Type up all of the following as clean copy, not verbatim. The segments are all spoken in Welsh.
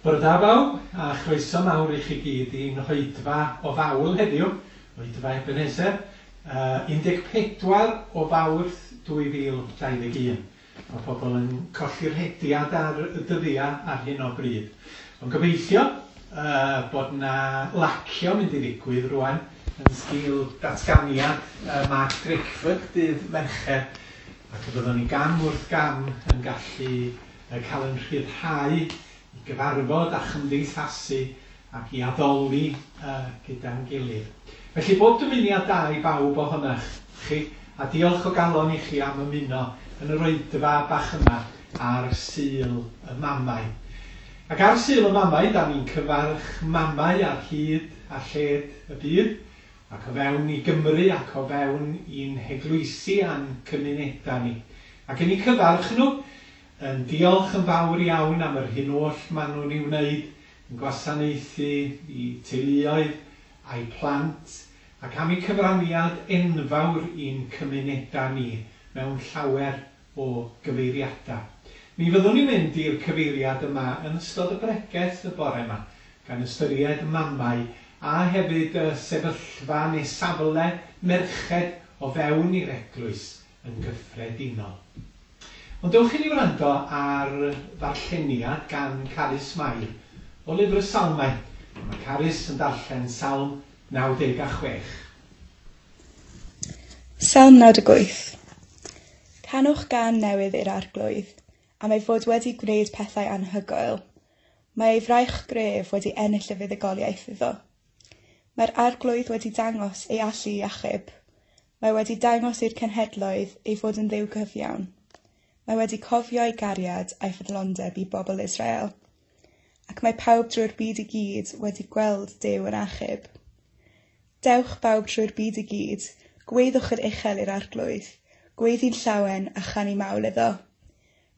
Bore da bawb, a chroeso mawr i chi gyd i'n hoedfa o fawl heddiw, oedfa Ebenezer, 14 o Fawrth 2021. Mae pobl yn colli'r rhediad ar y dyddiau ar hyn o bryd. Ond gobeithio bod 'na lacio mynd i ddigwydd rwan yn sgil datganiad Mark Drakeford dydd Mercher, ac y byddwn ni gam wrth gam yn gallu cael ein rhyddhau i gyfarfod a chymdeithasu ac i addoli gyda'n gilydd. Felly bob dymuniad da i bawb ohonach chi, a diolch o galon i chi am ymuno yn yr oedfa bach yma ar Sul y Mamau. Ac ar Sul y Mamau, da ni'n cyfarch mamau ar hyd a lled y byd, ac o fewn i Gymru ac o fewn i'n heglwysi a'n cymunedau ni. Ac yn eu cyfarch nhw, Yn diolch yn fawr iawn am yr hyn oll maen nhw'n ei wneud, yn gwasanaethu eu teuluoedd a'u plant, ac am eu cyfraniad enfawr i'n cymunedau ni mewn llawer o gyfeiriadau. Mi fyddwn ni'n mynd i'r cyfeiriad yma yn ystod y bregeth y bore 'ma, gan ystyried mamau a hefyd y sefyllfa neu safle merched o fewn i'r eglwys yn gyffredinol. Ond dewch i ni wrando ar ddarlleniad gan Carys Mair o Lyfr y Salmau. Mae Carys yn darllen Salm 96. Salm 98. Canwch gân newydd i'r Arglwydd, am ei fod wedi gwneud pethau anhygoel. Mae ei fraich gref wedi ennill y fuddugoliaeth iddo. Mae'r Arglwydd wedi dangos ei allu i achub. Mae wedi dangos i'r cenhedloedd ei fod yn Dduw cyfiawn. Mae wedi cofio ei gariad a'i ffyddlondeb i bobl Israel. Ac mae pawb drwy'r byd i gyd wedi gweld Duw yn achub. Dewch bawb trwy'r byd i gyd, gweddwch yn uchel i'r Arglwydd, gweiddi'n llawen a chanu mawl iddo.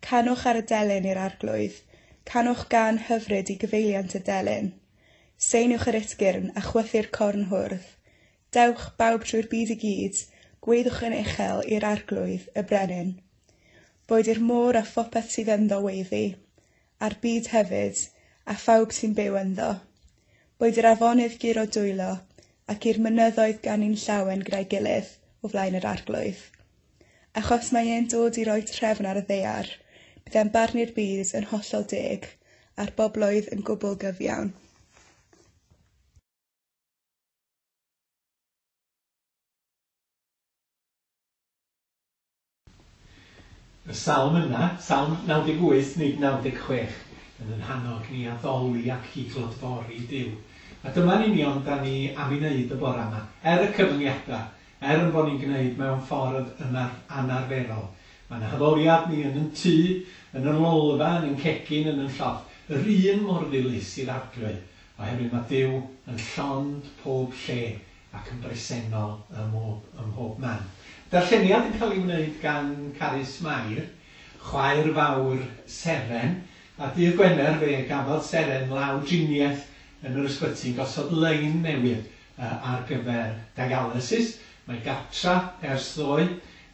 Canwch ar y delyn i'r Arglwydd, canwch gân hyfryd i gyfeiliant y delyn. Seiniwch yr utgyrn a chwythu'r corn hwrdd. Dewch, bawb trwy'r byd i gyd, gweddwch yn uchel i'r Arglwydd, y Brenin. Boed i'r môr a phopeth sydd ynddo weiddi, a'r byd hefyd, a phawb sy'n byw ynddo. Boed i'r afonydd guro dwylo, ac i'r mynyddoedd ganu'n llawen gyda'i gilydd o flaen yr Arglwydd. Achos mae e'n dod i roi trefn ar y ddaear, bydd e'n barnu'r byd yn hollol deg, a'r bobloedd yn gwbl gyfiawn. Y salm yna, Salm 98 nid 96, yn yn hannog ni addoli ac i glodfori Duw. A dyma'n union da ni am ei wneud y bore yma, er y cyfyngiadau, er yn bod ni'n gwneud mewn ffordd anarferol. Mae'n haddoliad ni yn yn tŷ, yn yn lolfa, yn yn cegin, yn yn llofft, yr un mor ddilys i'r Arglwydd, oherwydd mae Duw yn llond pob lle ac yn bresennol ym mhob, ym mhob man. Darlleniad yn cael ei wneud gan Carys Mair, chwaer fawr Seren, a dydd Gwener fe gafodd Seren lawdriniaeth yn yr ysbyty yn gosod lein newydd ar gyfer dialysis. Mae gartra ers ddoe,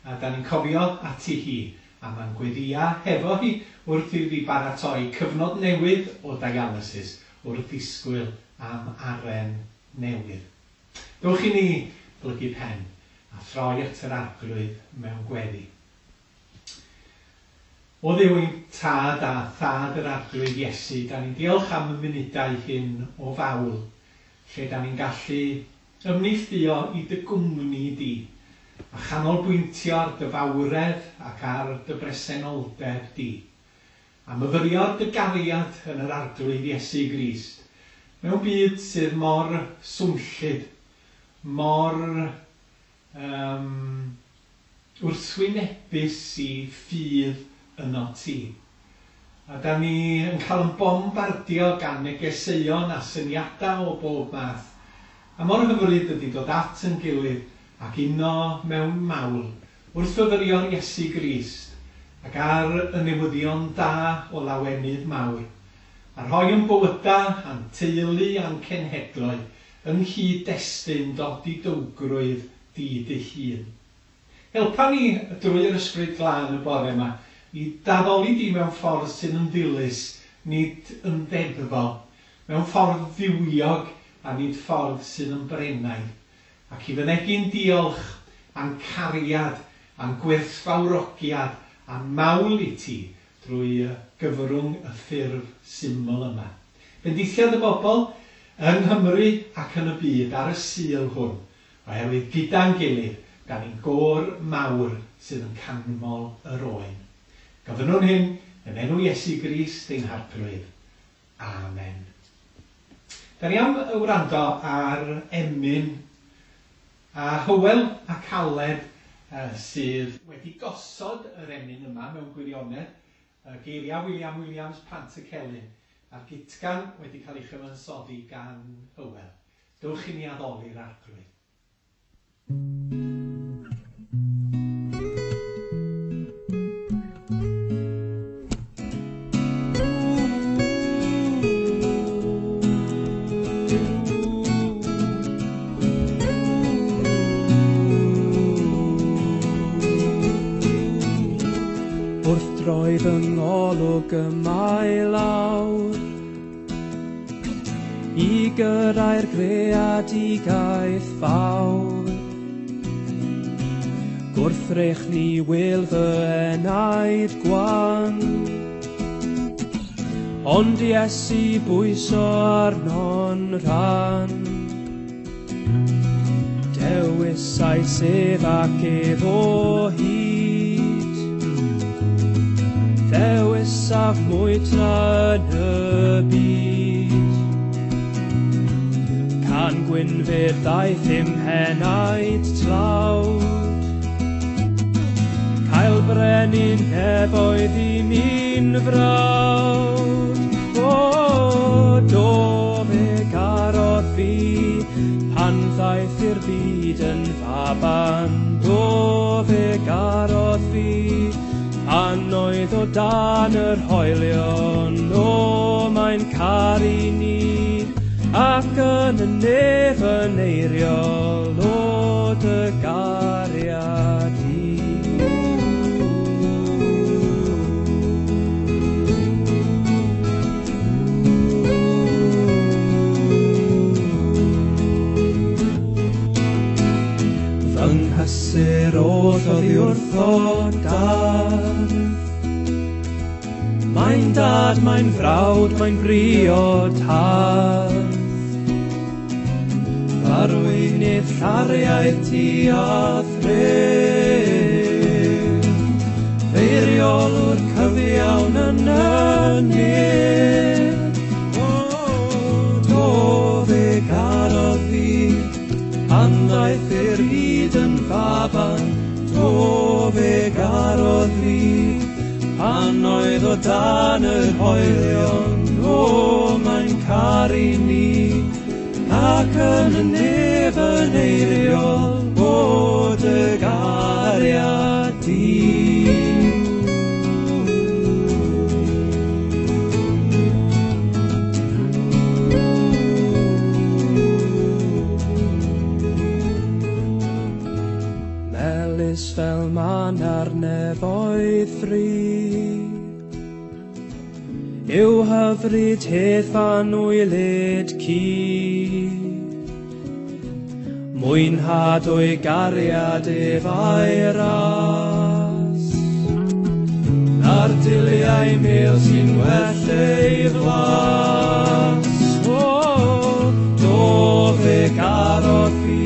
a da ni'n cofio ati hi, a mae'n gweddïa hefo hi wrth iddi baratoi cyfnod newydd o dialysis wrth ddisgwyl am aren newydd. Dowch i ni blygu pen a throi at yr Arglwydd mewn gweddi. O Dduw ein Tad a Thad yr Arglwydd Iesu, da ni'n diolch am y munudau hyn o fawl, lle da ni'n gallu ymneilltuo i dy gwmni di, a chanolbwyntio ar dy fawredd ac ar dy bresenoldeb di, a myfyrio ar dy gariad yn yr Arglwydd Iesu Grist, mewn byd sydd mor swnllyd, mor yym wrthwynebus i ffydd ynot ti. A 'dan ni yn cael yn bombardio gan negeseuon a syniadau o bob math. A mor hyfryd ydi dod at yn gilydd ac uno mewn mawl wrth fyfyrio ar Iesu Grist ac ar y newyddion da o lawenydd mawr, a rhoi yn bywyda a'n teulu a'n cenhedloedd yng nghyd-destun dodidowgrwydd di dy hun. Helpa ni drwy'r Ysbryd Glân y bore 'ma i d'addoli di mewn ffordd sydd yn ddilys nid yn ddeddfol, mewn ffordd dduwiog a nid ffordd sydd yn brennaidd, ac i fynegi'n diolch a'n cariad a'n gwerthfawrogiad a'n mawl i ti drwy gyfrwng y ffurf syml yma. Bendithia dy bobl yng Nghymru ac yn y byd ar y Sul hwn, oherwydd gyda'n gilydd, da ni'n gôr mawr sydd yn canmol yr Oen. Gofynnwn hyn yn enw Iesu Grist ein Harglwydd. Amen. Da ni am wrando ar emyn a Hywel ac Aled sydd wedi gosod yr emyn yma mewn gwirionedd, geiriau William Williams Pantycelyn, a'r gytgan wedi cael ei chyfansoddi gan Hywel. Dewch i ni addoli'r Arglwydd. Wrth droi fy ngolwg y mae lawr i gyrraedd greadigaeth fawr, gwrthrych ni wil fy enaid gwan, ond Iesu bwyso arno'n rhan. Dewisais ef ac ef o hyd, dewisaf mwy tra yn y byd. Can gwynfyd ddaeth i'm henaid tlawd, cael brenin nefoedd i mi'n frawd. O, do fe garodd fi, pan ddaeth i'r byd yn faban. Do fe garodd fi, pan oedd o dan yr hoelion. O, mae'n caru ni, ac yn y nef yn eiriol, o dy gariad i. Fy nghysur oll oddi wrtho dad, mae'n dad, mae'n frawd, mae'n briod hardd. Arweinydd llariaidd ti a thref, eiriolwr cyfiawn yn y nef. O, do fe garodd fi, pan ddaeth i'r byd yn faban. Do fe garodd fi, pan oedd o dan yr hoelion. O, mae'n caru ni, ac yn y nef yn eiriol, o dy gariad di. Melys fel man ar nefoedd fri, yw hyfryd hedd fan wylyd ci. Mwynhad o'i gariad ef a'i ras, na'r diliau mel sy'n well ei flas. O, do fe garodd fi,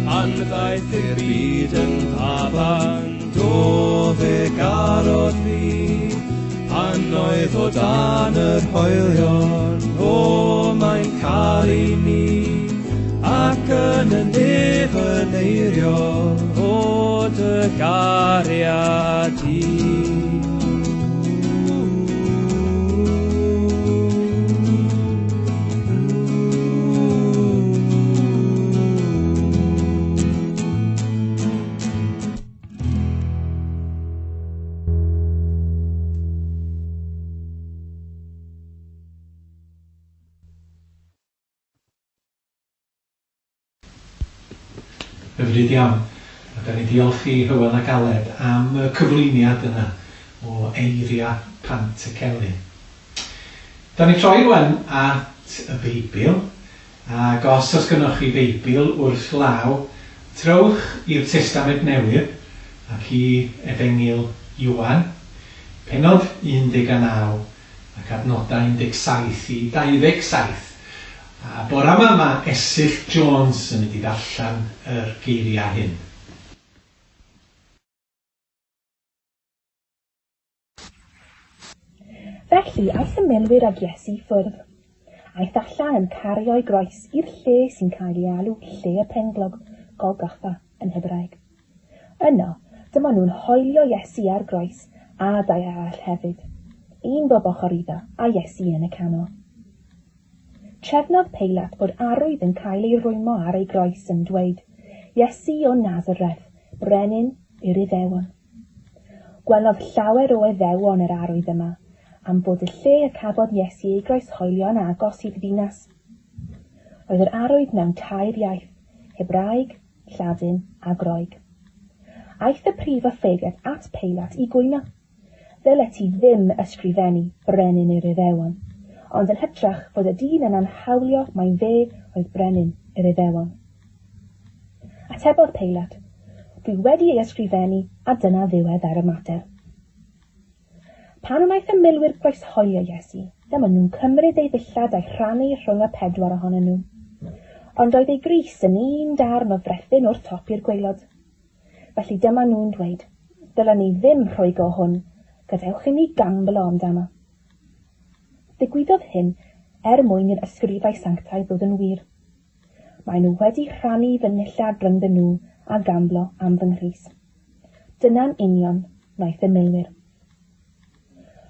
pan ddaeth i'r byd yn faban. Do fe garodd fi, pan oedd o dan yr hoelion. O, mae'n caru ni, ac yn y nef yn eiriol, o dy gariad i. Hyfryd iawn. A da ni'n diolch i Hywel ac Aled am y cyflwyniad yna o eiriau Pantycelyn. Da ni troi rwan at y Beibl, ac os oes gynnoch chi Feibl wrth law, trowch i'r Testament Newydd ac i Efengyl Ioan, pennod 19 ac adnodau 17 i 27. A bora yma mae Esyllt Jones yn mynd i ddarllen yr geiriau hyn. Felly aeth y milwyr ag Iesu i ffwrdd. Aeth allan yn cario'i groes i'r lle sy'n cael ei alw Lle y Penglog, Golgotha yn Hebraeg. Yno, dyma nhw'n hoelio Iesu ar groes a dau arall hefyd, un bob ochr iddo a Iesu yn y canol. Trefnodd Peilat bod arwydd yn cael ei rwymo ar ei groes yn dweud, Iesu o Nazareth, brenin yr Iddewon. Gwelodd llawer o Iddewon yr arwydd yma, am fod y lle y cafodd Iesu ei groeshoelio yn agos i'r ddinas. Roedd yr arwydd mewn tair iaith, Hebraeg, Lladin a Groeg. Aeth y prif offeiriad at Peilat i gwyno. Ddylet ti ddim ysgrifennu brenin yr Iddewon, ond yn hytrach fod y dyn yna'n hawlio mai fe oedd brenin yr Iddewon. Atebodd Peilat, dwi wedi ei ysgrifennu a dyna ddiwedd ar y mater. Pan wnaeth y milwyr groeshoelio Iesu, dyma nhw'n cymryd ei ddillad a'i rhannu rhwng y pedwar ohonyn nhw. Ond oedd ei grys yn un darn o frethyn o'r top i'r gwaelod. Felly dyma nhw'n dweud, dylen ni ddim rhwygo hwn, gadewch i ni gamblo amdano. Ddigwyddodd hyn er mwyn i'r ysgrifau sanctaidd ddod yn wir. Maen nhw wedi rhannu fy nillad rhyngddyn nhw a gamblo am fy nghrys. Dyna'n union wnaeth y milwyr.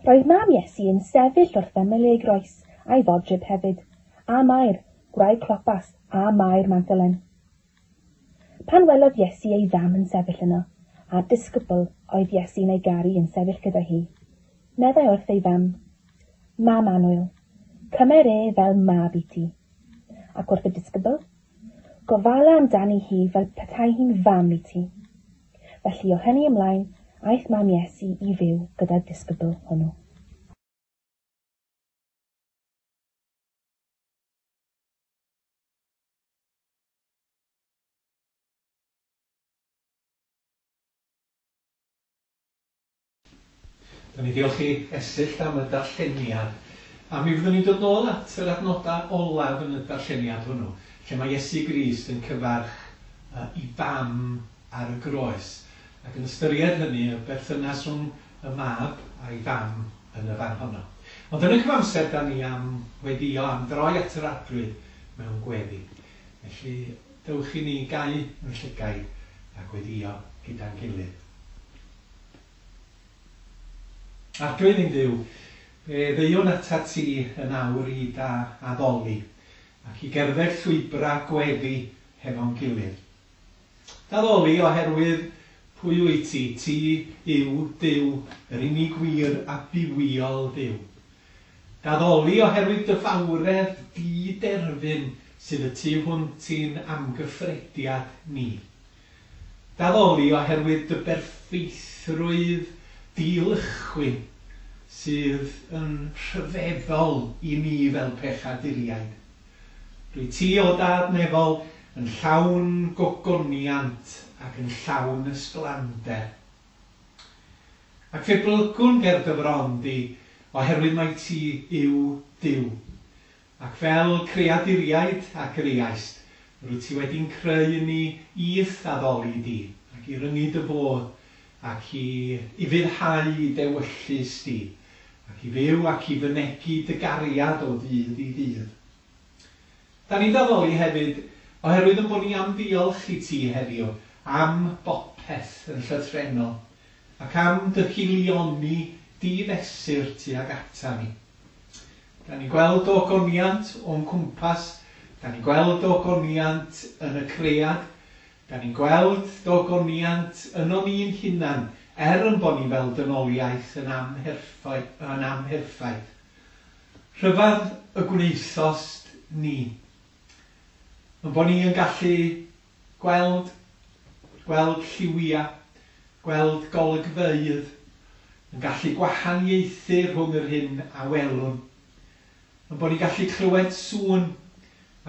Roedd mam Iesu yn sefyll wrth ymyl ei groes a'i fodryb hefyd, a Mair, gwraig Clopas, a Mair Magdalen. Pan welodd Iesu ei fam yn sefyll yno, a'r disgybl oedd Iesu'n ei garu yn sefyll gyda hi, meddai wrth ei fam, Mam annwyl, cymer e fel mab i ti. Ac wrth y disgybl, gofala amdani hi fel petai hi'n fam i ti. Felly o hynny ymlaen, aeth mam Iesu i fyw gyda'r disgybl hwnnw. Da ni diolch i Esyllt am y darlleniad. A mi fyddwn ni'n dod nôl at yr adnodau olaf yn y darlleniad hwnnw, lle mae Iesu Grist yn cyfarch i fam ar y groes, ac yn ystyried hynny y berthynas rhwng y mab a'i fam yn y fan honno. Ond yn y cyfamser, da ni am weddïo, am droi at yr Arglwydd mewn gweddi. Felly, dewch i ni gau yn llygaid a gweddïo gyda'n gilydd. Arglwydd ein Duw, fe ddeuwn atat ti yn awr i da addoli, ac i gerdded llwybrau gweddi hefo'n gilydd. D'addoli oherwydd pwy wyt ti, ti yw Duw, yr unig wir a bywiol Dduw. D'addoli oherwydd dy fawredd di-derfyn sydd y tu hwnt i'n amgyffrediad ni. D'addoli oherwydd dy berffeithrwydd dilychwyn sydd yn rhyfeddol i ni fel pechaduriaid. Rwyt ti, o Dad nefol, yn llawn gogoniant ac yn llawn ysblander. Ac fe blygwn ger dy fron di, oherwydd mai ti yw Duw. Ac fel creaduriaid a greaist, rwyt ti wedi'n creu ni i'th addoli di, ac i ryngu dy fodd, ac i ufuddhau dewyllys di, ac i fyw ac i fynegi dy gariad o ddydd i ddydd. Da ni'n d'addoli hefyd, oherwydd yn bod ni am ddiolch i ti heddiw am bopeth yn llythrennol, ac am dy haelioni di-fesur tuag ata ni. Da ni'n gweld ogoniant o'n cwmpas, da ni'n gweld ogoniant yn y cread, da ni'n gweld dogoniant ynon ni'n hunan, er yn bod ni fel dynoliaeth yn amherffaith. Rhyfedd y gwnaethost ni. Yn bod ni yn gallu gweld, gweld lliwiau, gweld golygfeydd, yn gallu gwahaniaethu rhwng yr hyn a welwn. Yn bod ni'n gallu clywed sŵn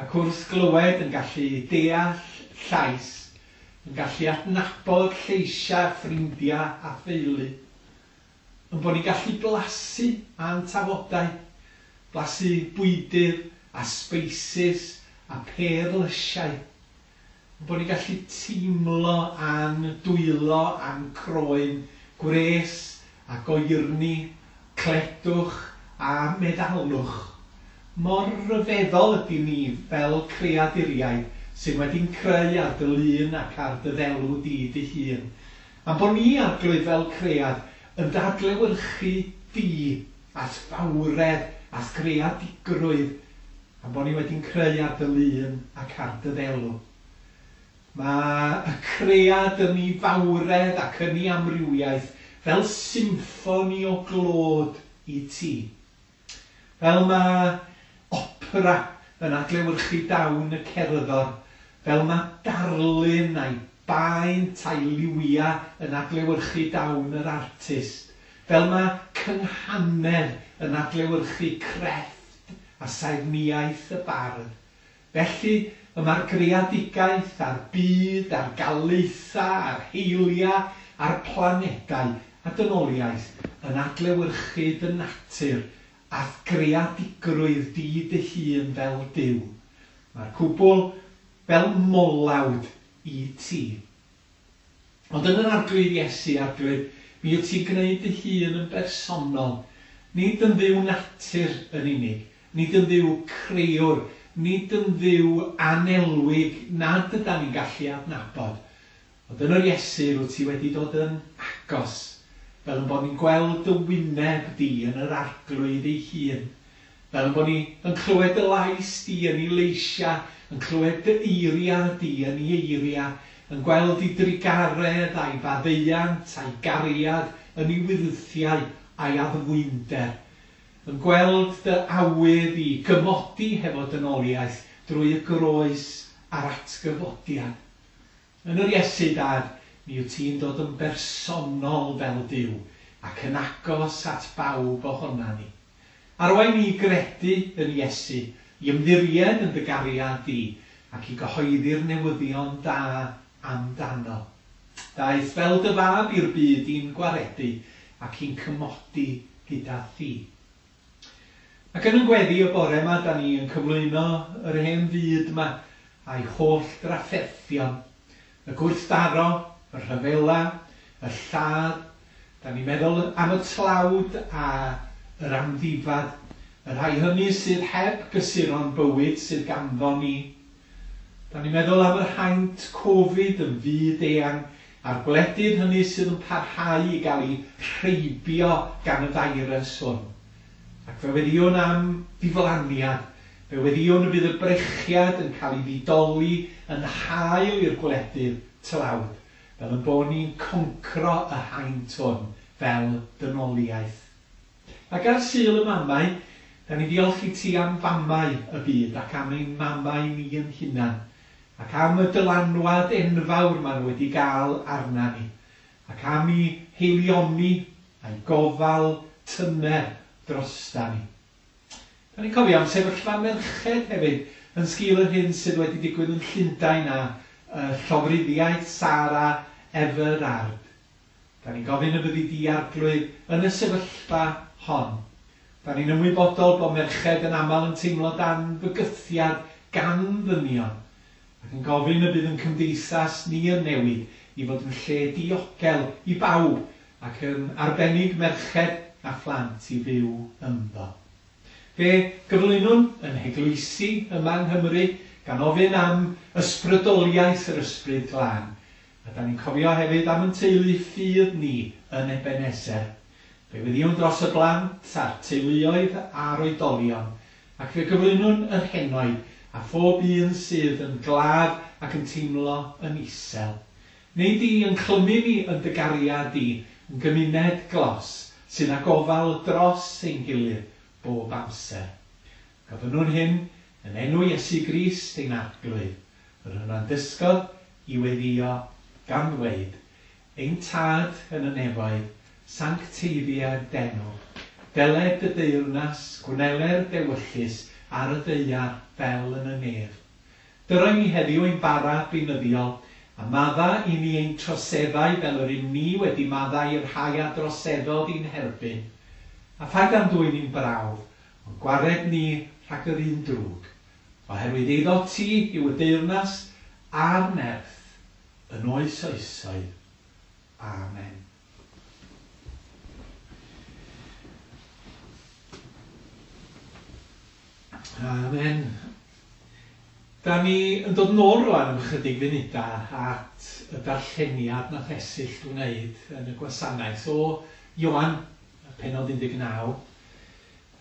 ac wrth glywed yn gallu deall llais, yn gallu adnabod lleisiau ffrindiau a theulu. Yn bod ni'n gallu blasu a'n tafodau, blasu bwydydd a spices a perlysiau. Yn bod ni'n gallu teimlo a'n dwylo a'n croen, gwres a goerni, cledwch a meddalwch. Mor ryfeddol ydy ni fel creaduriaid sydd wedi'n creu ar dy lun ac ar dy ddelw di dy hun. A'n bod ni, Arglwydd, fel cread yn dadlewyrchu di a'th fawredd a'th greadigrwydd, a'n bod ni wedi'n creu ar dy lun ac ar dy ddelw. Mae y cread yn ei fawredd ac yn ei amrywiaeth fel symffoni o glod i ti. Fel mae opera yn adlewyrchu dawn y cerddor, fel mae darlun a'i baent a'i liwia yn adlewyrchu dawn yr artist, fel mae cynghanedd yn adlewyrchu crefft a saernïaeth y bardd. Felly, y mae'r greadigaeth a'r byd, a'r galaethau, a'r heiliau, a'r planedau a dynoliaeth yn adlewyrchu dy natur a'th greadigrwydd di dy hun fel Duw. Mae'r cwbl fel molawd i ti. Ond yn yr Arglwydd Iesu, Arglwydd, mi wyt ti'n gwneud dy hun yn bersonol, nid yn Dduw natur yn unig, nid yn Dduw crëwr, nid yn Dduw anelwig nad ydan ni'n gallu adnabod. Ond yn yr Iesu rwyt ti wedi dod yn agos, fel yn bod ni'n gweld dy wyneb di yn yr Arglwydd ei hun, fel yn bod ni yn clywed dy lais di yn ei leisiau, yn clywed dy eiriau di yn ei eiriau, yn gweld ei drugaredd a'i faddeuant a'i gariad yn ei wyrthiau a'i addfwynder, yn gweld dy awydd i gymodi hefo dynoliaeth drwy y groes a'r atgyfodiad. Yn yr Iesu, Dad, mi wyt ti'n dod yn bersonol fel Duw ac yn agos at bawb ohona ni. Arwain ni i gredu yn Iesu, i ymddiried yn dy gariad di ac i gyhoeddi'r newyddion da amdano. Daeth fel dy fab i'r byd i'n gwaredu ac i'n cymodi gyda thi. Ac yn yn gweddi y bore yma, da ni yn cyflwyno yr hen fyd yma a'i holl drafferthion, y gwrthdaro, y rhyfela, y lladd. Da ni'n meddwl am y tlawd a yr amddifad, y rhai hynny sydd heb gysuron bywyd sydd ganddo ni. Da ni'n meddwl am yr haint Covid yn fyd eang a'r gwledydd hynny sydd yn parhau i gael eu rheibio gan y feirws hwn. Ac fe weddïwn am ddiflaniad, fe weddïwn y bydd y brechiad yn cael ei ddidoli yn hael i'r gwledydd tlawd, fel yn bod ni'n concro y haint hwn fel dynoliaeth. Ac ar Sul y Mamau, da ni ddiolch i ti am famau y byd ac am ein mamau ni yn hunan, ac am y dylanwad enfawr maen nhw wedi gael arna ni, ac am i haelioni a'i gofal tyner drosta ni. Da ni'n cofio am sefyllfa merched hefyd yn sgil yr hyn sydd wedi digwydd yn Llundain a llofruddiaeth Sarah Everard. Da ni'n gofyn y byddi di, Arglwydd, yn y sefyllfa hon. Da ni'n ymwybodol bod merched yn aml yn teimlo dan fygythiad gan ddynion, ac yn gofyn y bydd yn cymdeithas ni yn newid i fod yn lle diogel i bawb ac yn arbennig merched a phlant i fyw ynddo. Fe gyflwynwn yn heglwysi yma yng Nghymru gan ofyn am ysbrydoliaeth yr Ysbryd Glân. A da ni'n cofio hefyd am yn teulu ffydd ni yn Ebenezer. Fe weddïwn dros y blant a'r teuluoedd a'r oedolion, ac fe gyflwynwn yr henoed a phob un sydd yn glaf ac yn teimlo yn isel. Neu di yn clymu ni yn dy gariad di yn gymuned glos sydd â gofal dros ein gilydd bob amser. Gofynnwn hyn yn enw Iesu Grist ein Arglwydd, yr hwn dysgodd i weddïo gan ddweud, Ein Tad yn y nefoedd, sancteiddier d'enw, Deled dy deyrnas, gwneler d'ewyllys ar y ddaear fel yn y nef. Dyro i ni heddiw ein bara beunyddiol, a madda i ni ein troseddau fel yr ŷm ni wedi maddau i'r rhai a droseddodd i'n herbyn. A phaid â'n dwyn i'n brawf, ond gwared ni rhag yr un drwg. Oherwydd eiddot ti yw y deyrnas a'r nerth yn oes oesoedd. Amen. Amen. Da ni yn dod nôl rwan am ychydig funudau at y darlleniad nath Esyllt wneud yn y gwasanaeth o Ioan, pennod 19,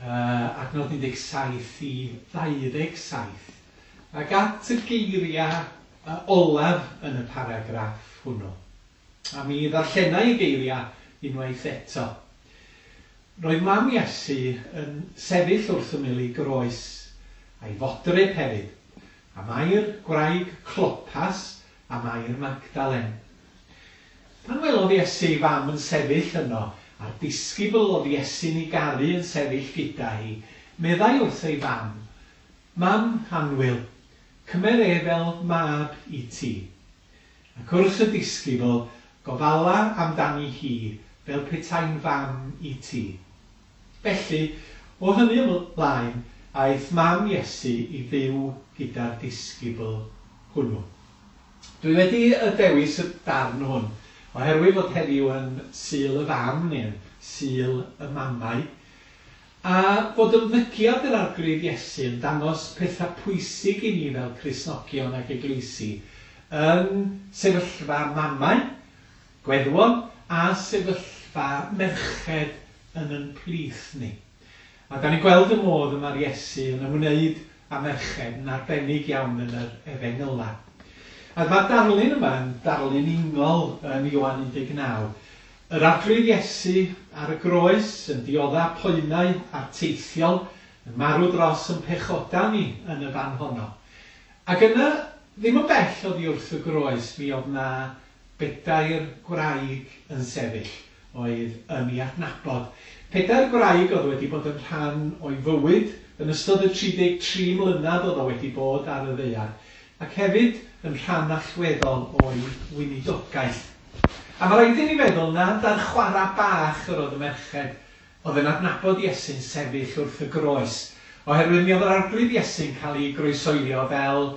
adnod 17 i 27, ac at y geiriau olaf yn y paragraff hwnnw. A mi ddarllenai y geiriau unwaith eto. Roedd mam Iesu yn sefyll wrth ymyl ei groes, a'i fodryb hefyd, a Mair gwraig Clopas a Mair Magdalen. Pan welodd Iesu ei fam yn sefyll yno, a'r disgybl oedd Iesu'n ei garu yn sefyll gyda hi, meddai wrth ei fam, Mam annwyl, cymer e fel mab i ti. Ac wrth y disgybl, Gofala amdani hi fel petai'n fam i ti. Felly, o hynny ymlaen, aeth mam Iesu i fyw gyda'r disgybl hwnnw. Dwi wedi y dewis y darn hwn oherwydd fod heddiw yn Sul y Fam, neu'n Sul y Mamau, a bod ymddygiad yr Arglwydd Iesu yn dangos pethau pwysig i ni fel Cristnogion ac eglwysi yn sefyllfa mamau, gweddwon a sefyllfa merched yn yn plith ni. A da ni'n gweld y modd y mae'r Iesu yn ymwneud â merched yn arbennig iawn yn yr Efengylau. A mae'r darlun yma yn darlun ingol yn Ioan 19. Yr Arglwydd Iesu ar y groes yn diodda poenau arteithiol, yn marw dros yn pechoda ni yn y fan honno. Ac yna, ddim yn bell oddi wrth y groes, mi oedd 'na bedair gwraig yn sefyll oedd yn ei adnabod. Pedair gwraig oedd wedi bod yn rhan o'i fywyd yn ystod y 33 mlynedd oedd o wedi bod ar y ddaear, ac hefyd yn rhan allweddol o'i weinidogaeth. A mae rhaid i ni feddwl nad ar chwarae bach yr oedd y merched oedd yn adnabod Iesu'n sefyll wrth y groes, oherwydd mi oedd yr Arglwydd Iesu'n cael ei groesoelio fel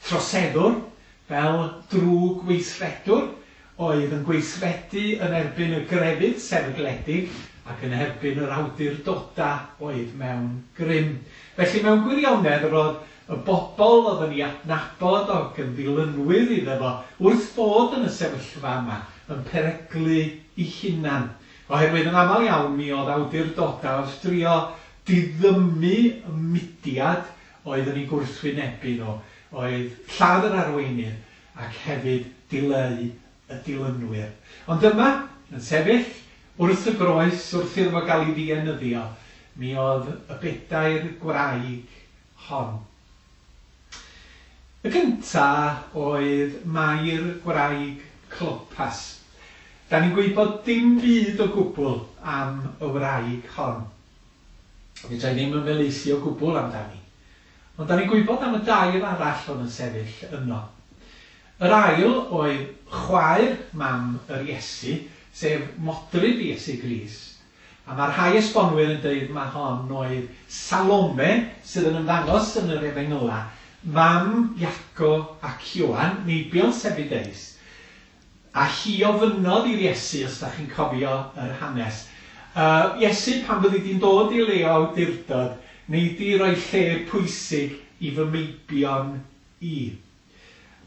troseddwr, fel drwg weithredwr, oedd yn gweithredu yn erbyn y grefydd sefydledig ac yn erbyn yr awdurdodau oedd mewn grym. Felly mewn gwirionedd yr oedd y bobl oedd yn ei adnabod ac yn ddilynwyr iddo fo wrth fod yn y sefyllfa yma yn peryglu eu hunan. Oherwydd yn aml iawn mi oedd awdurdodau wrth drio diddymu y mudiad oedd yn eu gwrthwynebu nhw, oedd lladd yr arweinydd ac hefyd dileu y dilynwyr. Ond yma, yn sefyll wrth y groes, wrth iddo fo gael ei ddienyddio, mi oedd y bedair gwraig hon. Y gynta oedd Mair gwraig Clopas. Da ni'n gwybod dim byd o gwbl am y wraig hon. Fedra i ddim ymhelaethu o gwbl amdani. Ond da ni'n gwybod am y dair arall oedd yn sefyll yno. Yr ail oedd chwaer mam yr Iesu, sef modryb Iesu Grist. A mae rhai esbonwyr yn deud ma hon oedd Salome, sydd yn ymddangos yn yr Efengylau, mam Iaco ac Ioan, meibion Sebedeus. A hi ofynnodd i'r Iesu, os da chi'n cofio yr hanes, Yy, Iesu, pan fyddi di'n dod i le o awdurdod, nei di roi lle pwysig i fy meibion i?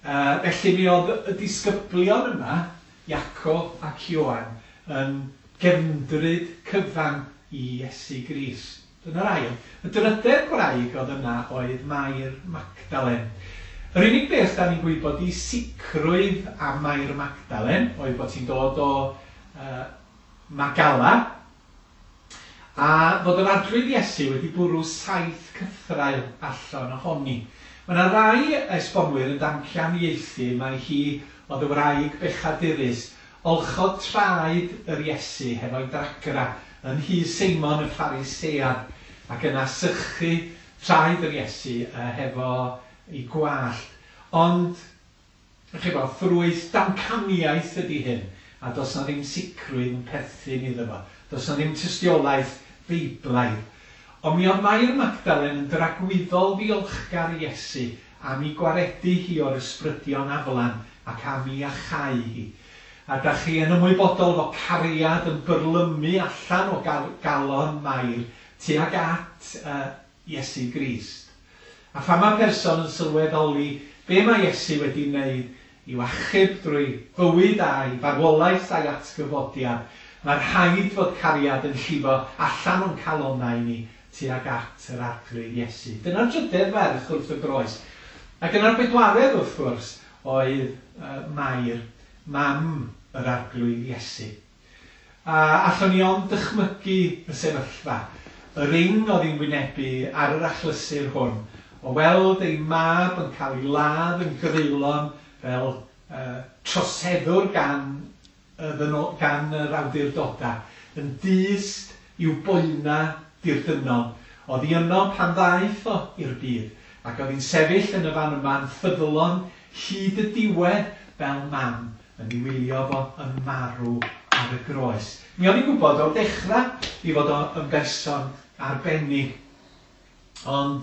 Yy, felly mi oedd y disgyblion yma, Iaco ac Ioan, yn gefndryd cyfan i Iesu Grist. Dyna'r ail. Y drydedd gwraig oedd yna oedd Mair Magdalen. Yr unig beth da ni'n gwybod i sicrwydd am Mair Magdalen oedd bod hi'n dod o uh, Magala, a fod yr Arglwydd Iesu wedi bwrw saith cythraul allan ohoni. Mae yna rai esbonwyr yn damcaniaethu mai hi oedd y wraig bechadurus. Olchodd traed yr Iesu hefo'i dagra yn nhŷ Seimon y Pharisead, ac yna sychu traed yr Iesu hefo ei gwallt. Ond, chi 'bo, ffrwyth damcaniaeth ydi hyn, a does 'na ddim sicrwydd yn perthyn iddo fo. Does 'na ddim tystiolaeth Feiblaidd. Ond mi oedd Mair Magdalen yn dragwyddol ddiolchgar i Iesu am ei gwaredu hi o'r ysbrydion aflan ac am ei iachau hi. A dach chi yn ymwybodol fo cariad yn byrlymu allan o galon Mair tuag at Iesu Grist. A phan mae person yn sylweddoli be mae Iesu wedi wneud i'w achub drwy fywyd a'i farwolaeth a'i atgyfodiad, mae rhaid fod cariad yn llifo allan o'n calonnau ni tuag at yr Arglwydd Iesu. Dyna'r drydedd ferch wrth y groes. Ac yna'r bedwaredd, wrth gwrs, oedd Mair, mam yr Arglwydd Iesu. A allwn ni ond dychmygu y sefyllfa, yr ing oedd hi'n wynebu ar yr achlysur hwn, o weld ei mab yn cael ei ladd yn greulon fel troseddwr gan y gan yr awdurdodau, yn dyst i'w boenau dirdynnol. Oedd hi yno pan ddaeth o i'r byd, ac oedd hi'n sefyll yn y fan yma'n ffyddlon hyd y diwedd fel mam yn ei wylio fo yn marw ar y groes. Mi o'n i'n gwybod o'r dechrau ei fod o yn berson arbennig, ond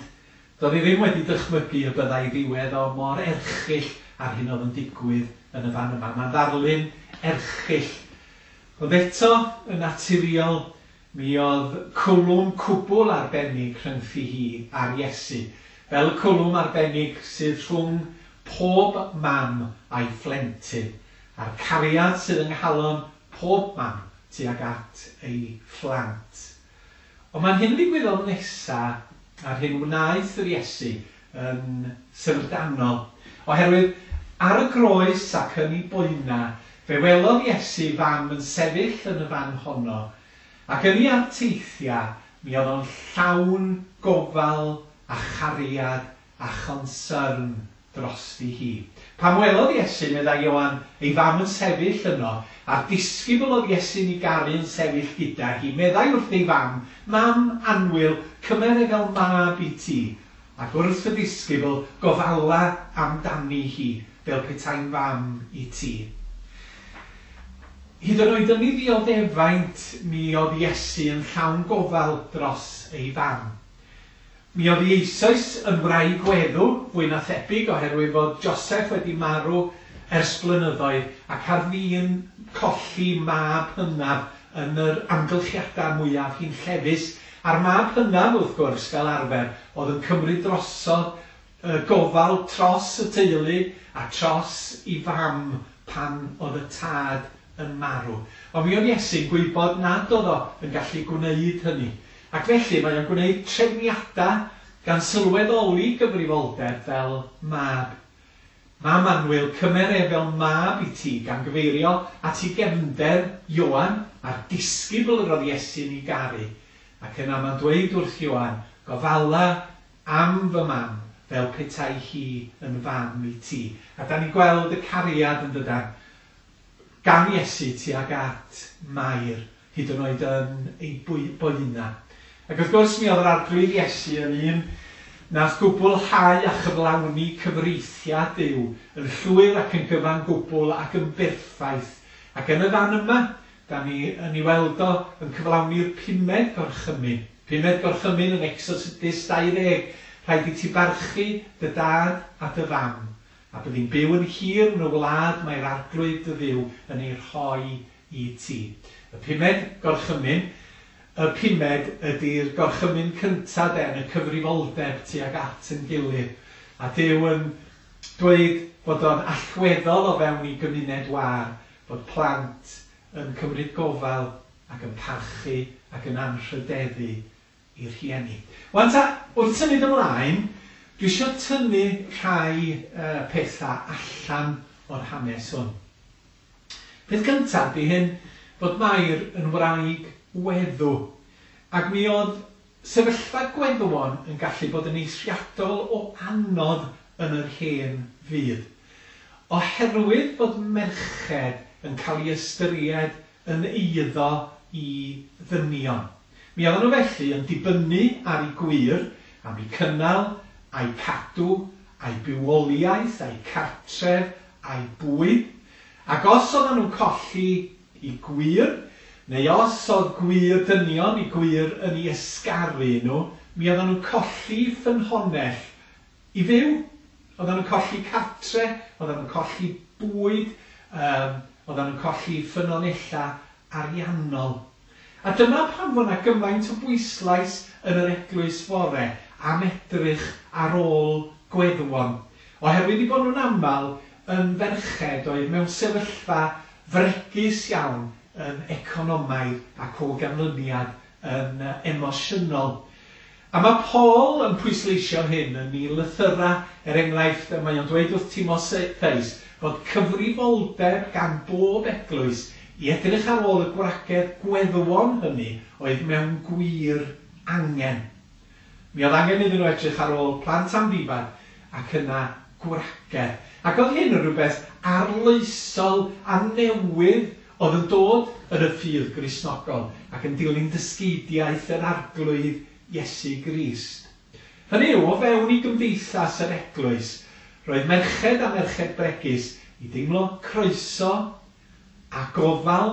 doedd hi ddim wedi dychmygu y byddai ddiwedd o mor erchyll â'r hyn oedd yn digwydd yn y fan yma. Mae'n ddarlun erchyll. Ond eto, yn naturiol, mi oedd cwlwm cwbl arbennig rhyngthi hi a'r Iesu, fel y cwlwm arbennig sydd rhwng pob mam a'i phlentyn, a'r cariad sydd yng nghalon pob mam tuag at ei phlant. Ond mae'r hyn ddigwyddodd nesa a'r hyn wnaeth yr Iesu yn syfrdanol, oherwydd ar y groes ac yn ei boena, fe welodd Iesu fam yn sefyll yn y fan honno, ac yn ei arteithiau mi oedd o'n llawn gofal a chariad a chonsyrn drosti hi. Pan welodd Iesu, meddai Ioan, ei fam yn sefyll yno, a'r disgybl oedd Iesu'n ei garu yn sefyll gyda hi, meddai wrth ei fam, Mam annwyl, cymer e fel mab i ti. Ac wrth y disgybl, Gofala amdani hi, fel petai'n fam i ti. Hyd yn oed yn ei ddioddefaint, mi oedd Iesu yn llawn gofal dros ei fam. Mi oedd hi eisoes yn wraig weddw, fwy na thebyg, oherwydd fod Joseff wedi marw ers blynyddoedd ac ar fin colli mab hynaf yn yr amgylchiadau mwyaf hunllefus. A'r mab hynaf, wrth gwrs, fel arfer, oedd yn cymryd drosodd y gofal tros y teulu a tros i fam pan oedd y tad yn marw. Ond mi oedd Iesu'n gwybod nad oedd o yn gallu gwneud hynny. Ac felly mae o'n gwneud trefniadau gan sylweddoli gyfrifoldeb fel mab. Mam annwyl, cymer e fel mab i ti, gan gyfeirio at ei gefnder, Ioan, a'r disgybl yr oedd Iesu'n ei garu. Ac yna mae'n dweud wrth Ioan, Gofala am fy mam fel petai hi yn fam i ti. A dan ni'n gweld y cariad yn dydan, gan Iesu tuag at Mair, hyd yn oed yn ei boenau. Ac wrth gwrs mi oedd yr Arglwydd Iesu yn un nath gwblhau a chyflawni cyfreithiau Duw yn llwyr ac yn gyfan gwbl ac yn berffaith. Ac yn y fan yma, da ni yn ei weld o yn cyflawni'r pumed gorchymyn. Pumed gorchymyn yn Exodus 20, rhaid i ti barchu dy dad a dy fam, a byddi'n byw yn hir yn y wlad mae'r Arglwydd dy Dduw yn ei rhoi i ti. Y pumed gorchymyn, y pumed ydy'r gorchymyn cynta de yn y cyfrifoldeb tuag at yn gilydd. A Duw yn dweud bod o'n allweddol o fewn i gymuned wâr bod plant yn cymryd gofal ac yn parchu ac yn anrhydeddu i'r rhieni. Wan ta, wrth symud ymlaen, dwi isio tynnu rhai pethau allan o'r hanes hwn. Peth cyntaf ydy hyn, fod Mair yn wraig weddw, ac mi oedd sefyllfa gweddwon yn gallu bod yn eithriadol o anodd yn yr hen fyd. Oherwydd fod merched yn cael ei ystyried yn eiddo i ddynion. Mi oedden nhw felly yn dibynnu ar eu gwŷr am eu cynnal, a'u cadw, a'u bywoliaeth, a'u cartref, a'u bwyd. Ac os oedden nhw'n colli eu gwŷr, neu os oedd gwŷr dynion eu gwŷr yn eu ysgaru nhw, mi oedden nhw'n colli ffynhonnell i fyw. Oedden nhw'n colli cartre, oedden nhw'n colli bwyd, oedden nhw'n colli ffynonellau ariannol. A dyma pam fod 'na gymaint o bwyslais yn yr eglwys fore am edrych ar ôl gweddwon, oherwydd eu bod nhw'n aml yn ferched oedd mewn sefyllfa fregus iawn yn economaidd ac o ganlyniad yn emosiynol. A mae Paul yn pwysleisio hyn yn ei lythyrau, er enghraifft, mae o'n dweud wrth Timotheus fod cyfrifoldeb gan bob eglwys i edrych ar ôl y gwragedd gweddwon hynny oedd mewn gwir angen. Mi oedd angen iddyn nhw edrych ar ôl plant amddifad ac yna gwragedd. Ac oedd hyn yn rhywbeth arloesol a newydd oedd yn dod yn y ffydd Gristnogol ac yn dilyn dysgeidiaeth yr Arglwydd Iesu Grist. Hynny yw, o fewn i gymdeithas yr eglwys, roedd merched a merched bregus i deimlo croeso a gofal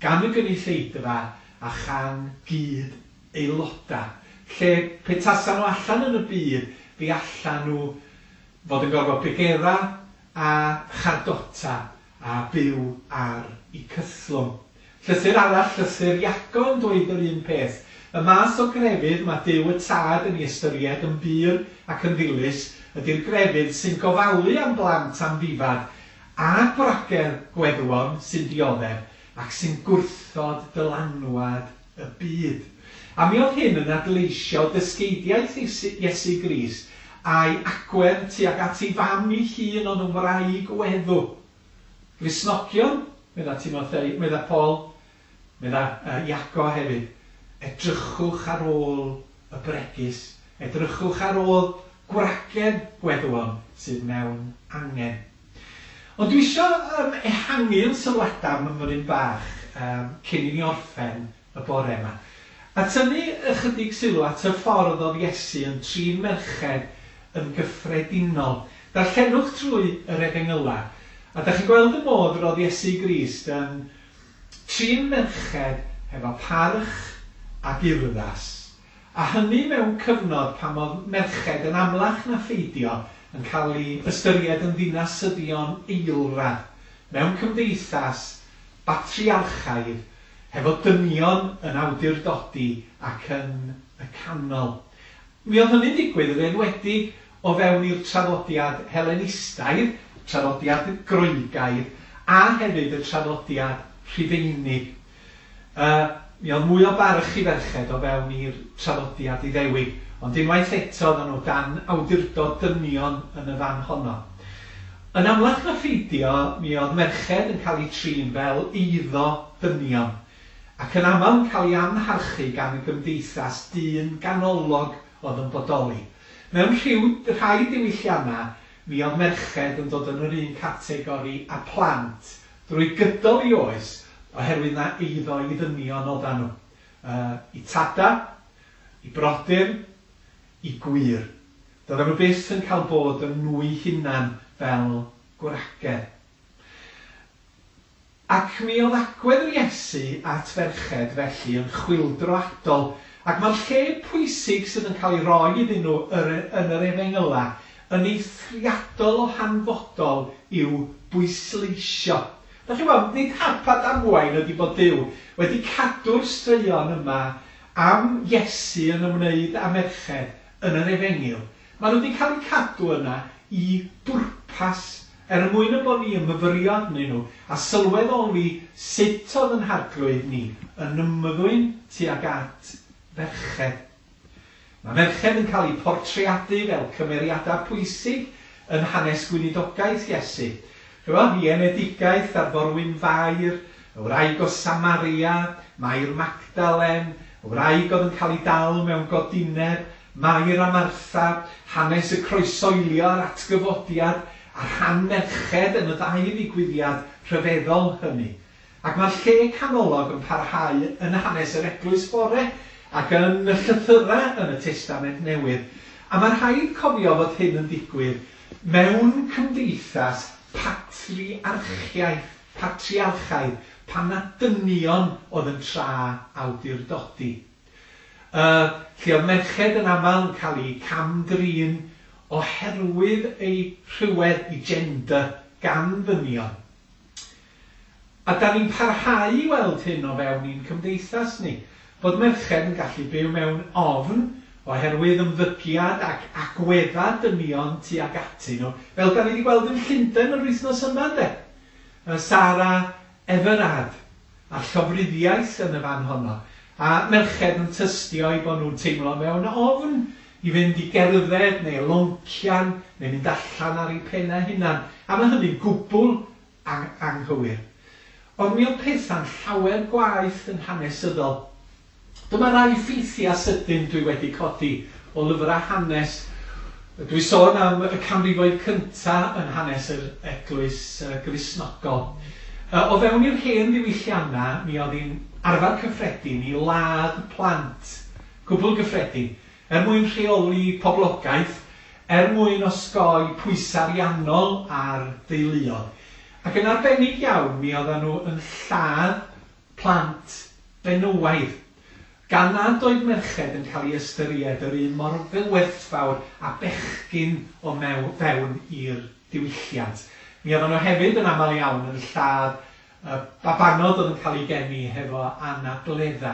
gan y gynulleidfa a chan gyd aelodau, lle pe tasan nhw allan yn y byd fe allan nhw fod yn gorfod pregera a chardota a byw ar eu cythlwng. Llythyr arall, llythyr Iago yn dweud yr un peth. Y math o grefydd mae Duw y Tad yn ei ystyried yn bur ac yn ddilys ydy'r grefydd sy'n gofalu am blant amddifad a gwragedd gweddwon sy'n dioddef ac sy'n gwrthod dylanwad y byd. A mi oedd hyn yn adleisio dysgeidiaeth Iesu Grist a'i agwedd tuag at ei fam ei hun oedd yn wraig weddw. Gristnogion, medda Timotheu, medda Paul, medda Iago hefyd, edrychwch ar ôl y bregus, edrychwch ar ôl gwragedd gweddwon sydd mewn angen. Ond dwi isio um, ehangu yn sylwadau mymryn bach um, cyn i ni orffen y bore yma. A tynnu ychydig sylw at y ffordd oedd Iesu yn trin merched yn gyffredinol. Darllenwch trwy yr Efengylau, a da chi'n gweld y modd roedd Iesu Grist yn trin merched hefo parch ac urddas, a hynny mewn cyfnod pan oedd merched yn amlach na pheidio yn cael eu ystyried yn ddinasyddion eilradd mewn cymdeithas batriarchaidd hefo dynion yn awdurdodi ac yn y canol. Mi oedd hynny'n digwydd yn enwedig o fewn i'r traddodiad Helenistaidd, traddodiad Groegaidd, a hefyd y traddodiad Rhufeinig. Mi oedd mwy o barch i ferched o fewn i'r traddodiad Iddewig, ond unwaith eto oedden nhw dan awdurdod dynion yn y fan honno. Yn amlach na pheidio, mi oedd merched yn cael eu trin fel eiddo dynion, ac yn aml yn cael eu amharchu gan y gymdeithas dyn ganolog oedd yn bodoli. Mewn rhyw rhai diwylliannau, mi oedd merched yn dod yn yr un categori â plant drwy gydol eu oes oherwydd na eiddo i ddynion oedden nhw. Eu tada, eu brodyr, eu gwŷr. Doedden nhw byth yn cael bod yn nhw'u hunan fel gwragedd. Ac mi oedd agwedd yr Iesu at ferched felly yn chwyldroadol, ac mae'r lle pwysig sydd yn cael ei roi iddyn nhw yn yr Efengylau yn eithriadol o hanfodol i'w bwysleisio. Dach chi'n gweld, nid hap a damwain ydy bod Duw wedi cadw'r straeon yma am Iesu yn ymwneud â merched yn yr Efengyl. Maen nhw wedi cael eu cadw yna i bwrpas, er mwyn y bod ni yn myfyrio arnyn nhw a sylweddoli sut oedd yn Harglwydd ni yn ymddwyn tuag at ferched. Mae merched yn cael eu portreadu fel cymeriadau pwysig yn hanes gweinidogaeth Iesu. Chimod, ei enedigaeth ar Forwyn Fair, y wraig o Samaria, Mair Magdalen, y wraig oedd yn cael ei dal mewn godineb, Mair a Martha, hanes y croeshoelio a'r atgyfodiad, a rhan merched yn y ddau ddigwyddiad rhyfeddol hynny. Ac mae'r lle canolog yn parhau yn hanes yr eglwys bore ac yn y llythyrau yn y Testament Newydd. A mae rhaid cofio fod hyn yn digwydd mewn cymdeithas patriarchiaeth, patriarchaidd, pan na dynion oedd yn tra awdurdodi. Lle oedd merched yn aml yn cael eu cam-drin oherwydd eu rhywedd, eu gender, gan ddynion. A da ni'n parhau i weld hyn o fewn i'n cymdeithas ni, bod merched yn gallu byw mewn ofn oherwydd ymddygiad ac agwedda dynion tuag atyn nhw, fel da ni wedi gweld yn Llundain yr wythnos yma, de. Sarah Everard, a'r llofruddiaeth yn y fan honno, a merched yn tystio eu bod nhw'n teimlo mewn ofn i fynd i gerdded neu loncian neu mynd allan ar eu pennau hunan. A mae hynny'n gwbl anghywir. Ond mi oedd pethau'n llawer gwaeth yn hanesyddol. Dyma rai ffeithiau sydyn dwi wedi codi o lyfrau hanes. Dwi sôn am y canrifoedd cyntaf yn hanes yr eglwys Gristnogol. O fewn i'r hen ddiwylliannau, mi oedd hi'n arfer cyffredin i ladd plant, gwbl gyffredin, er mwyn rheoli poblogaeth, er mwyn osgoi pwysau ariannol ar deuluoedd. Ac yn arbennig iawn, mi oedden nhw yn lladd plant benywaidd, gan nad oedd merched yn cael ei ystyried yr un mor werthfawr a bechgyn o fewn i'r diwylliant. Mi oedden nhw hefyd yn aml iawn yn lladd babanod oedd yn cael eu geni hefo anabledda.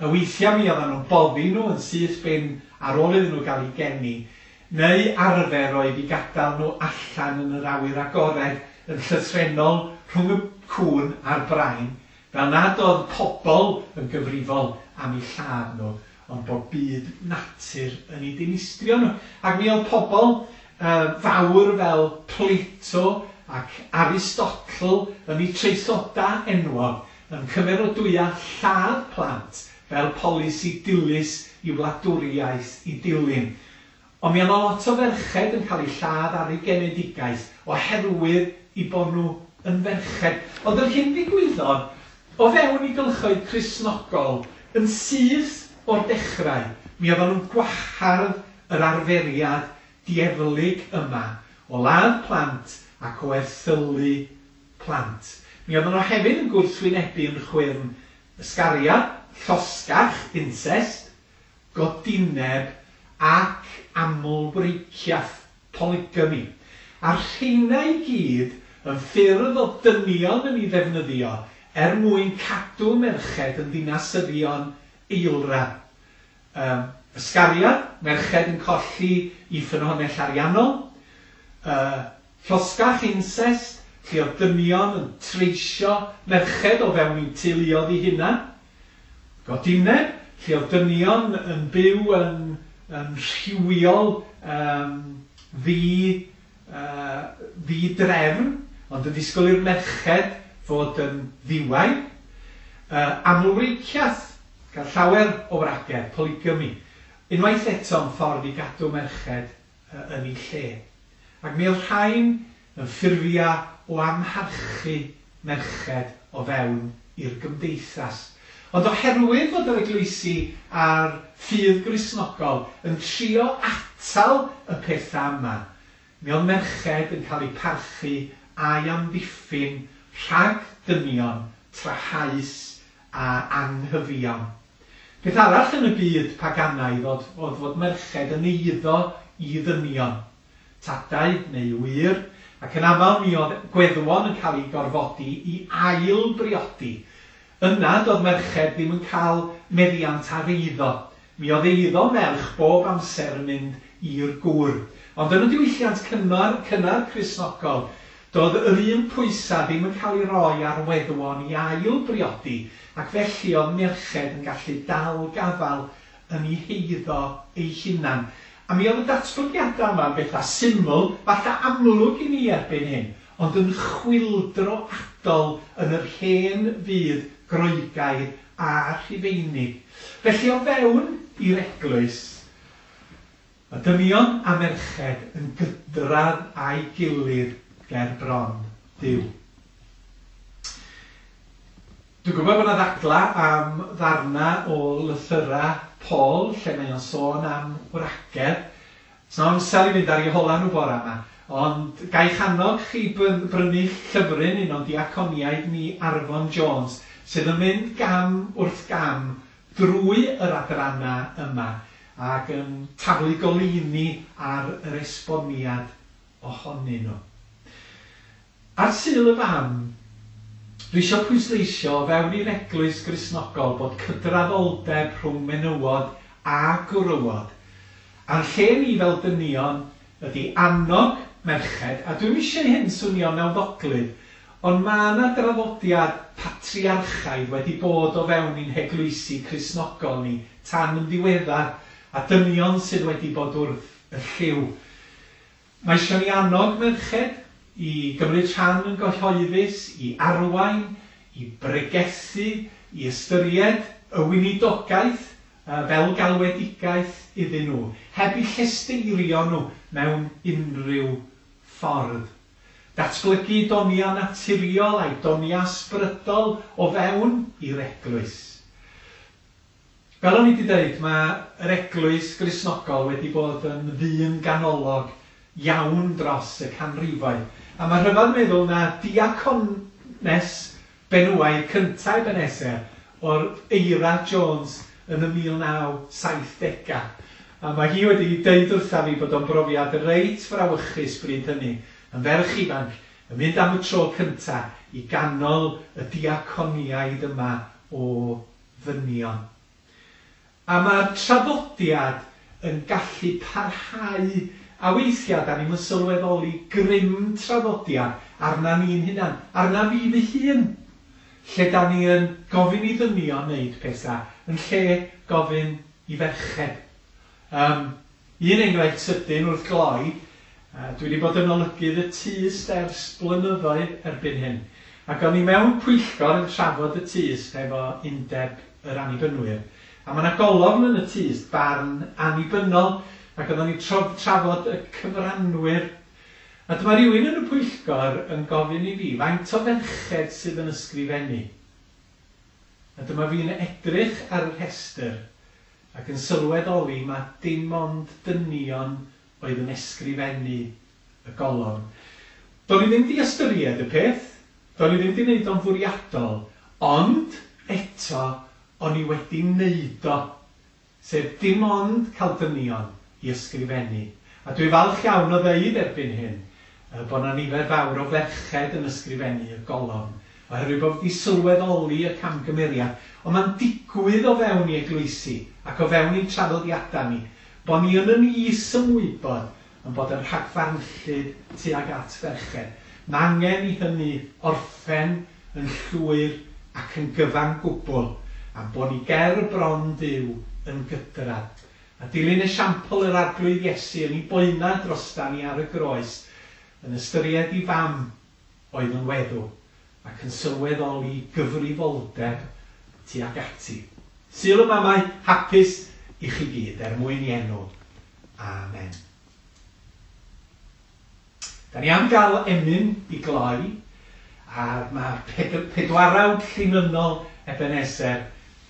Weithiau mi oedden nhw'n boddi nhw yn syth bin ar ôl iddyn nhw gael eu geni, neu arfer oedd i gadael nhw allan yn yr awyr agored yn llythrennol rhwng y cŵn a'r brain, fel nad oedd pobl yn gyfrifol am eu lladd nhw, ond bod byd natur yn eu dinistrio nhw. Ac mi oedd pobl fawr fel Plato ac Aristotle yn eu traethodau enwog yn cymeradwyo lladd plant fel polisi dilys i wladwriaeth i dilyn. Ond mi oedd lot o ferched yn cael eu lladd ar eu genedigaeth oherwydd eu bod nhw yn ferched. Ond yr hyn ddigwyddodd o fewn i gylchoedd Cristnogol yn syth o'r dechrau, mi oedden nhw'n gwahardd yr arferiad dieflig yma o ladd plant ac o erthylu plant. Mi oedden nhw hefyd yn gwrthwynebu yn chwyrn ysgariad, llosgach, incest, godineb ac amlwreiciaeth, polygamy. A'r rheina i gyd yn ffyrdd o dynion yn ei ddefnyddio er mwyn cadw merched yn ddinasyddion eilradd. Ysgariad, merched yn colli i ffynhonnell ariannol. Llosgach, incest, lle oedd dynion yn treisio merched o fewn i'w teuluoedd eu hunan. Godineb, lle oedd dynion yn byw yn rhywiol ddi-drefn, ond yn disgwyl i'r merched fod yn ddiwaith. Amlwreiciaeth, cael llawer o wragedd, polygamy. Unwaith eto yn ffordd i gadw merched yn ei lle. Ac mi oedd rhain yn ffurfiau o amharchu merched o fewn i'r gymdeithas. Ond oherwydd fod yr eglwysi a'r ffydd Gristnogol yn trio atal y pethau yma, mi oedd merched yn cael eu parchu a'i amddiffyn rhag dynion trahaus a anghyfiawn. Peth arall yn y byd paganaidd oedd fod merched yn eiddo i ddynion, tadau neu ŵyr, ac yn aml mi oedd gweddwon yn cael eu gorfodi i ail briodi. Yna doedd merched ddim yn cael meddiant ar eiddo. Mi oedd eiddo merch bob amser yn mynd i'r gŵr. Ond yn y diwylliant cynnar Cristnogol, doedd yr un pwysau ddim yn cael ei roi ar weddwon i ail briodi, ac felly oedd merched yn gallu dal gafael yn eu heiddo eu hunan. A mi oedd y datblygiadau yma yn bethau syml, falle amlwg i ni erbyn hyn, ond yn chwyldroadol yn yr hen fyd Groegaidd a Rhufeinig. Felly o fewn i'r eglwys, mae dynion a merched yn gydradd a'i gilydd ger bron Duw. Dwi'n gwybod bod yna ddadla am ddarna o lythyra Paul, lle mae o'n sôn am wragedd. Sna amser i fynd ar eu hola nhw bora yma, ond ga'i annog chi brynu llyfryn un o'n diaconiaid ni, Arfon Jones, sydd yn mynd gam wrth gam drwy yr adrannau yma ac yn taflu goleuni ar yr esboniad ohonyn nhw. Ar Sul y Fam, dwi eisiau pwysleisio o fewn i'r Eglwys Gristnogol bod cydraddoldeb rhwng menywod a gwrywod. A'n lle ni fel dynion ydy annog merched, a dwi'm eisiau hyn swnio nawddoglyd, ond mae yna draddodiad patriarchaidd wedi bod o fewn i'n heglwysi Cristnogol ni tan yn ddiweddar, a dynion sydd wedi bod wrth y llyw. Mae eisiau ni annog merched i gymryd rhan yn gyhoeddus, i arwain, i bregethu, i ystyried y weinidogaeth fel galwedigaeth iddyn nhw, heb eu llesteirio nhw mewn unrhyw ffordd. Datblygu donia naturiol a'i donia ysbrydol o fewn i'r eglwys. Fel o'n i wedi dweud, mae yr Eglwys Gristnogol wedi bod yn ddyn ganolog iawn dros y canrifoedd. A mae rhyfedd meddwl na diacones benywaidd cyntaf Ebenezer o'r Eira Jones yn y 1970au. A mae hi wedi deud wrtha fi bod o'n brofiad reit frawychus bryd hynny, yn ferch ifanc, yn mynd am y tro cyntaf i ganol y diaconiaid yma o ddynion. A mae'r traddodiad yn gallu parhau, a weithiau da ni'm yn sylweddoli grym traddodiad arna ni'n hunan, arna fi fy hun, lle da ni yn gofyn i ddynion wneud pethau, yn lle gofyn i ferched. Un enghraifft sydyn wrth gloi, dwi wedi bod yn olygydd y Tyst ers blynyddoedd erbyn hyn, ac o'n i mewn pwyllgor yn trafod y Tyst efo Undeb yr Annibynwyr, a mae yna golofn yn y Tyst, barn annibynnol, ac oedden ni'n trafod y cyfranwyr. A dyma rhywun yn y pwyllgor yn gofyn i fi, faint o ferched sydd yn ysgrifennu? A dyma fi'n edrych ar y rhestr ac yn sylweddoli mae dim ond dynion oedd yn ysgrifennu y golofn. Do'n i ddim 'di ystyried y peth, do'n i ddim 'di wneud o'n fwriadol, ond eto o'n i wedi wneud o, sef dim ond cael dynion i ysgrifennu. A dwi falch iawn o ddeud erbyn hyn bod 'na nifer fawr o ferched yn ysgrifennu y golofn, oherwydd bod fi 'di sylweddoli y camgymeriad. Ond mae'n digwydd o fewn i eglwysi ac o fewn i'n traddodiadau ni, bod ni yn yn is-ymwybod yn bod yn rhagfarnllyd tuag at ferched. Mae angen i hynny orffen yn llwyr ac yn gyfan gwbl, a bod ni ger bron Duw yn gydradd. A dilyn esiampl yr Arglwydd Iesu yn ei boena drosta ni ar y groes, yn ystyried i fam oedd yn weddw ac yn sylweddoli gyfrifoldeb tuag ati. Sul y Mamau hapus i chi gyd er mwyn i enw. Amen. Da ni am gael emyn i gloi, a mae pedwarawd llinynnol Ebenezer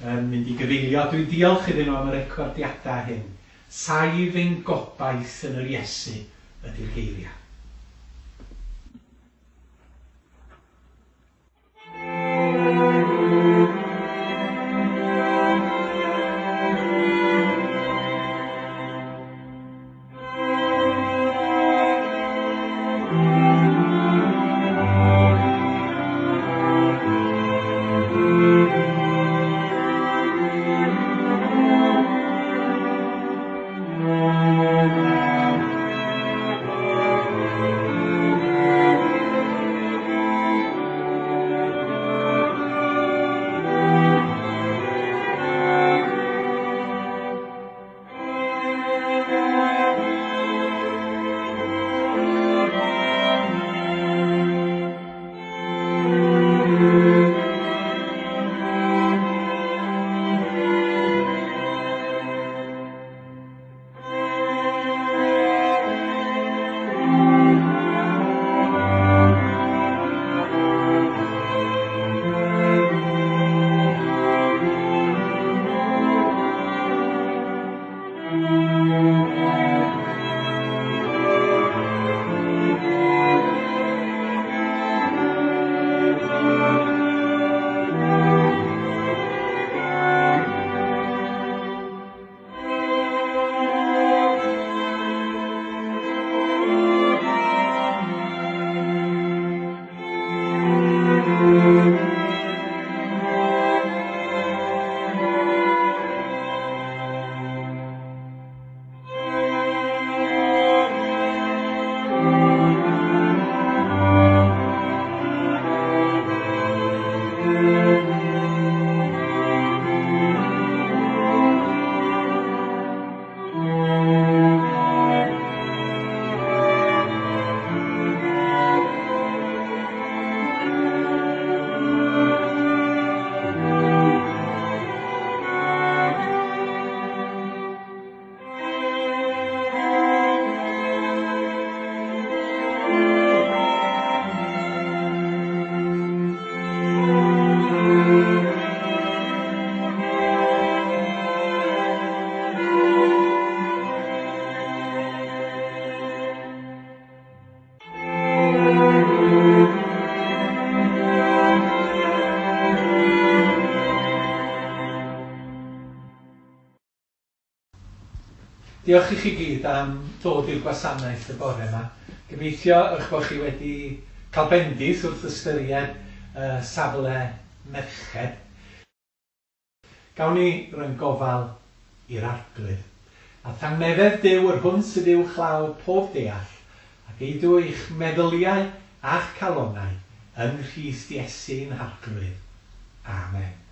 yn mynd i gyfeilio. Dwi'n diolch iddyn nhw am y recordiadau hyn. Saif ein gobaith yn yr Iesu ydy'r geiriau. Diolch i chi gyd am ddod i'r gwasanaeth y bore yma. Gobeithio eich bod chi wedi cael bendith wrth ystyried safle merched. Gawn ni roi'n gofal i'r Arglwydd. A thangnefedd Duw yr hwn sydd uwchlaw pob deall, ac eidw eich meddyliau a'ch calonnau yng Nghrist Iesu'n Harglwydd. Amen.